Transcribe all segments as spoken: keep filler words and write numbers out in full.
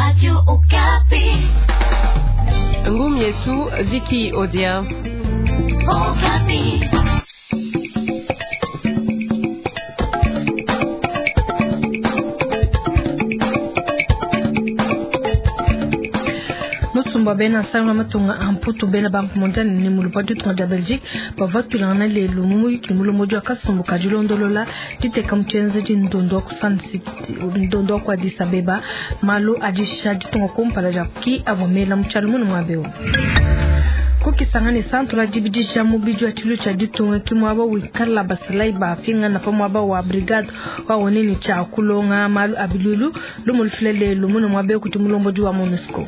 Radio Okapi. Ngumi yetu Vicky Odia. Okapi. Musumba bena sanga matunga amputu bena banque mondiale ni mulupa ditunga dia Belgique bavua tuilangana lelu mu muyiki mulombodi wa kasumbu ka dilondolola diteka mu tshienzedi ndondo wa ku Sun City ndondo wa ku Addis Abeba malu adisha ditunga kumpala dia ki avua mela mu tshialu munu muaba kukisangana santu dibidisha mubidi wa tshilu tshia ditunga ki muaba wikala basalayi bapingana pa muaba wa brigade wa onene tshia kulonga malu a bilulu lumu lufila lelu munu muaba kuti mulombodi wa MONUSCO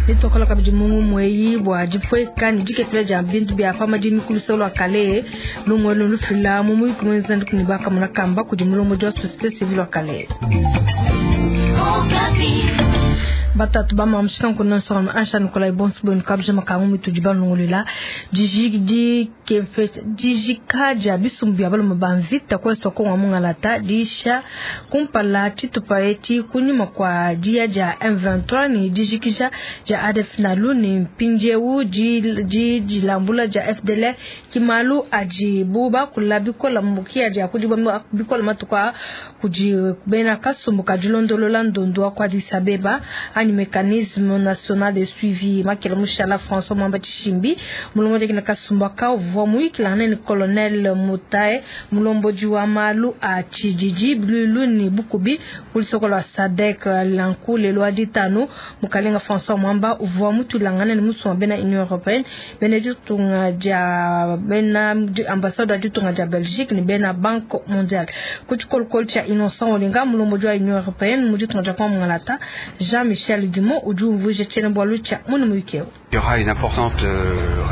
nitokola kabidi mungu mweyi bua dipweka ne dikepela dia bintu bia pa madimi ku luseke lua kale lumue lufila mu muyuki muenza ne bakamona kamba kudi mulombodi wa société civile wa kale. Batatu ba mamushika nkuna nsonga ansha Nikolai Bonsu bwenu kabja makangu mitudi balongolola dijika dia bisumbu bia balume ba mvita kwesa konga mungalata disha kumpala tshitupa etshi kunyima kwa dia dia M vingt-trois ni dijikisha dia A D F nalu ni mpindieu di dilambula dia F D L R kimalu adi buba kula bikola mbukia dia kudi bikola matuka kudi bena kasumbu kadilondolola ndondo wa kwa Addis Abeba ani mécanisme national de suivi makela mushala François Mwamba Tshishimbi mulombodi kina kasumba ka uvua muyikilangana ni colonel Mutae mulombodi wa malu a tshididi bilulu ni bukubi ku lusoko lua SADC lanku lelo ditanu mukalenga François Mwamba uvua mutulangana ni musumba bena Union européenne bena ditunga dia bena ambassade ditunga dia Belgique ni bena Banque mondiale ku tshikolokolo tshia Innocent Olinga mulombodi wa Union européenne mu ditunga dia Kongo Jean-Michel Dumont udi umvuija tshiena-bualu tshia munu muyiki eu. Il y aura une importante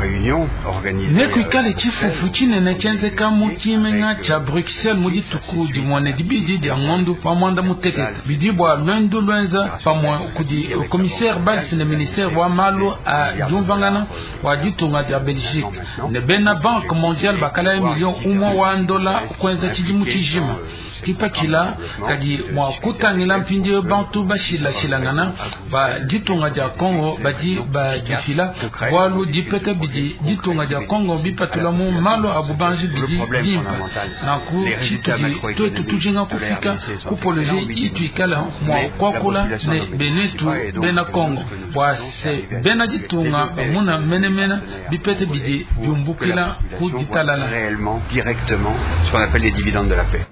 réunion organisée. Nekuikale tshifufu tshinene tshienzeka mu tshimenga tshia Bruxelles mu dituku dimue dibidi dia ngondo wa mwanda mutekete bidi bua luendu luenza pamue kudi commissaire Bals ne ministère wa malu a diumvangana wa ditunga dia Belgique ne bena Banque mondiale bakala million umue wa ndola kuenza tshidimu tshijima kipakila kadi mua kutangila mpindieu bantu bashilashilangana ba ditunga dia Congo badi badifila bualu dipeta bidi ditunga dia Congo bipatula mu malu a bubanji bidi bimpa nanku tshitudi twetu tujinga kufika ku projet ituikala mua kuakula ne benetu bena Congo bua se bena ditunga bamuna menemene bipeta bidi biumbukila ku ditalala directement ce qu'on appelle les dividendes de la paix.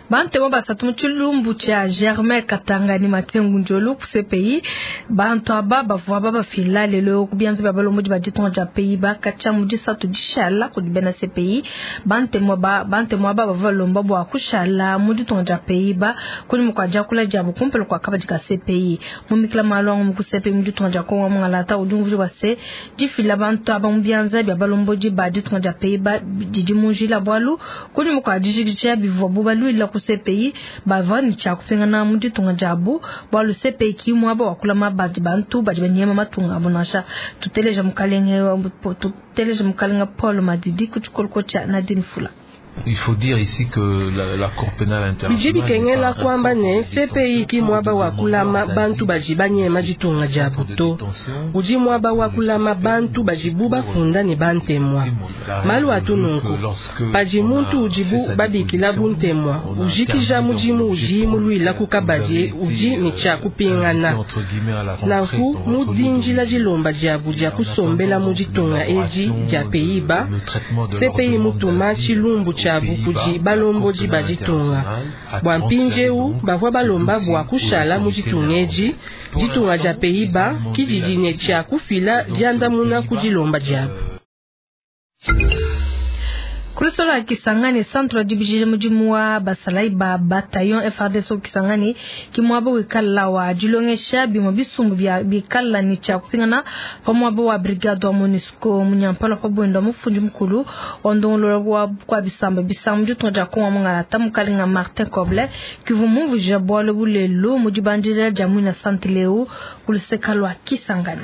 Bantemo basatu mu tshilumbu tshia Germain Katanga ni Matengu Njolu ku C P I bantu aba bavua babafila lelo ku bianza bia balombodi ba ditunga dia Pays-Bas katshia mu disatu dishala kudi bena C P I bantemo ba bantemo aba bavua balomba bua kushala mu ditunga dia Pays-Bas kunyima kua diakula diabu kumpala kua kabadi ka C P I mu mikila malu angu ku C P I mu ditunga dia Kongo mungalata udi umvuija bua se difila bantu aba mu bianza bia balombodi ba ditunga dia Pays-Bas didi mu njila bualu kunyima kua dijikija bivua bubaluila ku C P I bavua ne tshia kupingana mu ditunga diabu bualu C P I ki muaba wa kulama badi bantu badi banyema matunga abu nansha tuteleja mukalenge tuteleja mukalenge Paul Madidi ku tshikoloko tshia Nadine Fula. Il faut dire ici que la, la Cour pénale internationale bidi bikengela kwamba ne C P I ki muaba wa kulama bantu badi banyema ditunga diabu to udi muaba wa kulama bantu badibu bafunda ne bantemwa malu atu nunku padi muntu udibu babikila buntemwa ujikija mudimu udi muluila ku kabadi udi ne tshia kupingana nanku mu dinjila dilomba diabu dia kusombela mu ditunga edi dia Pays-Bas C P I mutuma tshilumbu tshia kudi balombodi ba ditunga bua mpindieu bavua balomba bua kushala mu ditunga edi ditunga dia Pays-Bas kididi ne tshia kufila diandamuna ku dilomba diabu. Kulusolo ya Kisangani centre dibijije mudimu wa basalayi ba bataillon F R D C Kisangani ki muaba wikala wa dilongesha bimue bisumbu bia bikala ni tshia kupingana pa muaba wa brigade wa MONUSCO munyampala pa buenda mufundi mukulu wa ndongolola wa kwa bisamba bisambu ditunga dia Kongo mungalata mukalenga Martin Kobler kivu mumvuija bualu bulelu mu dibandila dia muina centre leu kuluseka lua Kisangani.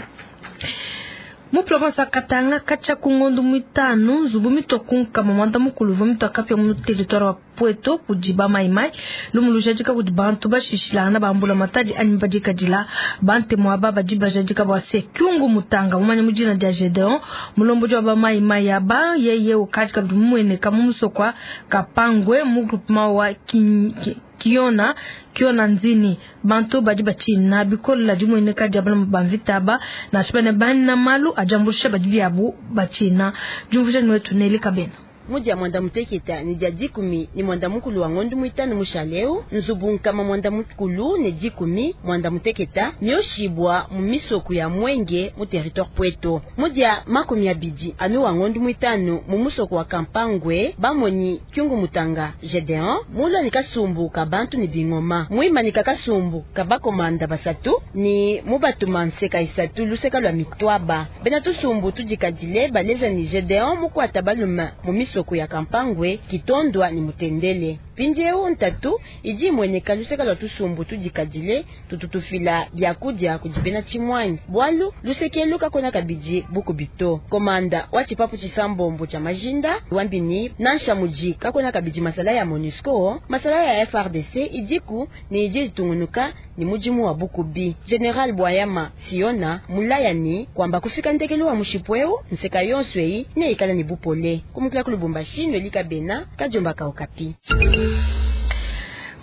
Mu province ya Katanga katshia ku ngondo mitanu nzubu mitokunka mamanda mukulu uvua mitoka kapia mu territoire wa Pweto kudi ba Mai Mai lumu lujadika kudi bantu bashishilangana bambula matadi anyi badikadila bantemu aba badi bajadika bua se Kyungu Mutanga mumanya mu dina dia Gedeon mulombodi wa ba Mai Mai aba yeye ukadi kabidi mumueneka mu musoko wa Kapangwe mu groupement wa Kin- Ki- Kiona Kiona Nzini. Bantu badi batshina bikola dimueneka dia bana ba mvita aba nansha bana bana malu ajambulisha badi biabu batshina diumvuija ni wetu Neli Kabena. Mudia mwanda muteketa ni dia dikumi ni mwanda mukulu wa ngondu mwitanu mushaleu nzubu nkama mwanda mukulu ne dikumi mwanda muteketa mioshibwa mu misoku ya Mwenge mu territoire Pweto. Mudia makumi abidi anu wa ngondu mwitanu mu musoko wa Kampangwe bamonyi Kyungu Mutanga Gedeon mula ni kasumbu ka bantu ni bingoma mwima ni kakasumbu ka bakomanda basatu ni mubatuma nseka isatu luseka lwa mitwaba bena tusumbu tudikadile baleja ni Gedeon mukwata baluma mu misoko ya Kampangwe Kitondwa ni Mutendele. Pindieu ntatu idi imweneka luseka lwa tusumbu tudikadile tututufila byakudia kudibena chimwanyi bwalu lusekelu kakona kabidi bukubito. Komanda wa chipapu chisambombo cha majinda wambini nansha muji kakona kabidi masala ya MONUSCO masala ya F R D C idiku ni idi itungunuka ni mujimu wa bukubi. General Bwayama Siona mulayani kwamba kufika ndekelu wa mushipweu nseka yonswei ne ikala ni bupole kumukila kulubumbashi nwelika bena kajomba kaukapi.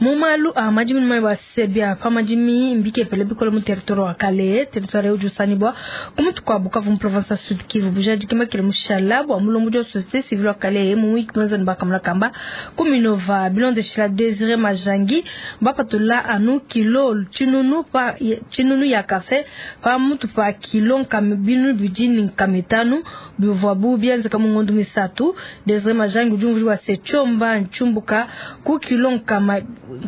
Mumalu a madimi mai ba sebia pa madimi mbike pele bikolo mu territoire wa Kale territoire uju sanibwa kumutu kwa Bukavu mu province Sud Kivu bujadi kima kile mushala bwa mulombo jo société civile wa Kale mu wiki mwanza bakamla kamba kuminova bilonde shila Désiré Majangi bapatula anu kilo chinunu pa chinunu ya kafe pa mutu pa kilo nkam binu bidini nkamitanu bivwa bu bianza kama ngondu misatu. Désiré Majangi ujumvuri wa sechomba nchumbuka ku kilo nkama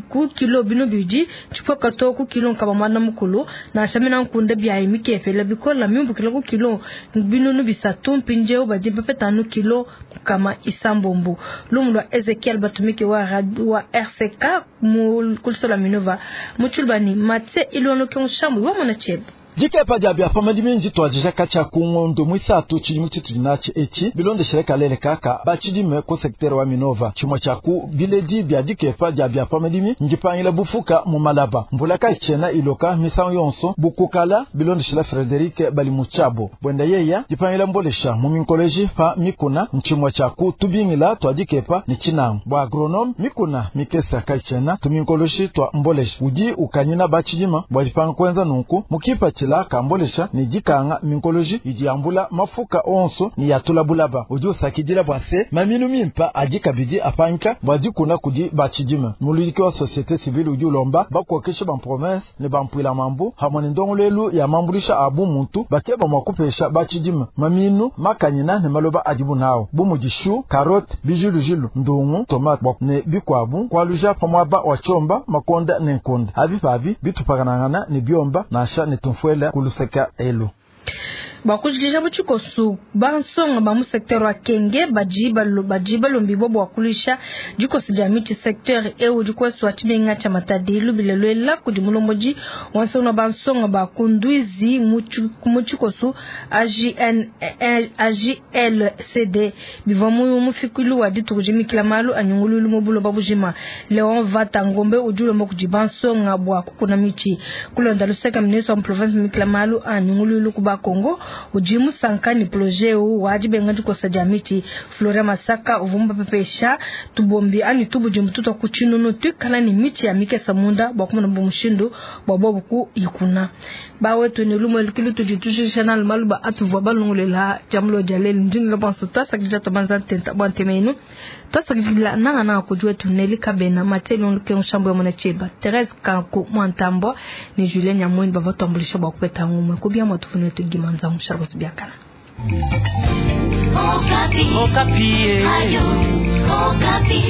ku kilo bino bidi chipoka to ku kilo nkaba mwana mukulu na shamina nkunda bya imikepela bikola mimbukila ku kilo bino nubisatu mpinjeo badi bapetanu kilo kama isambombo. Lumu lwa Ezekiel Batumike wa wa R C K mu kulisola Minova muchulbani matse ilwono kyonshambu wa mona chebe. Dikepa dia bia pamadimi nditwajija kacha kungondo mwisatu chilimu chitulinachi echi bilondeshele kalele kaka bachidime ku secteur wa Minova chimwe cha ku biledi bia dikepa dia bia pamadimi ndipangila bufuka mu malaba mvula kaichena iloka misango yonso bukukala bilondeshela Frederic Balimuchabo bwenda yeya dipangila mbolesha mu minkoleji pa mikuna nchimwe cha ku tubingila twa dikepa ni chinango bwa agronome mikuna mikesa kaichena tuminkoloshi twa mbolesha udi ukanyina bachidima bwa dipanga kwenza nunku mukipa chila kambolesha ni dikanga minkoloji idi yambula mafuka onso ni yatula bulaba udi usakidila bwa se maminu mimpa adi kabidi apanka bwa dikuna kudi bachidima muludiki wa société civile udi ulomba bakuokesha ba province ne bampwila mambu hamwe ne ndongolelu ya mambulisha abu muntu bakeba mwa kupesha bachidima maminu makanyina ne maloba adibu nao bumudishu carotte bijulujilu ndungu tomate ne bikwabu kwaluja pamwaba wa chomba makonda ne nkunda avi pavi bitupakanangana ne biomba nasha ne tumfwela kuluseka elu. Bakujikisha buchikosu bansonga ba mu secteur wa Kenge baji balo baji balombi bo bwakulisha dikosu dia miti secteur ewu dikwesu wa chimenga cha Matadi lubilelwela kudi mulomboji wansonga bansonga ba kundwizi mu chikosu A J N A J L C D bivwa mu mufikulu wa dituku jimikila malu anyungululu mu buloba bujima Leon Vata Ngombe ujulombo kudi bansonga bwa kukuna michi kulonda luseka ministre wa province mikila malu anyungululu kuba Kongo ujimu sankani projet wajibenga dikosa dia miti Flora Masaka uvumba pepesha tubombi ani tubu jimtuto kuchinunu twikala ni miti ya mikesa munda bwa kumona bumushindu bwa bobuku ikuna bawetu ni lumo lukilu tujitushisha na maluba atuvwa balungulela jamulo jalel ndini lobanso tasakidila tobanza ntenta bwa ntemenu tasakidila nanga na kujua tuneli kabena mateli onluke nshambo ya mwana cheba Therese Kanku Mwantambo ni Julien Nyamwini bavatambulisha bwa kupeta ngumwe kubia mwatufuni tugimanza msharbosi biakana. Okapi. Okapi. Ayo, Okapi.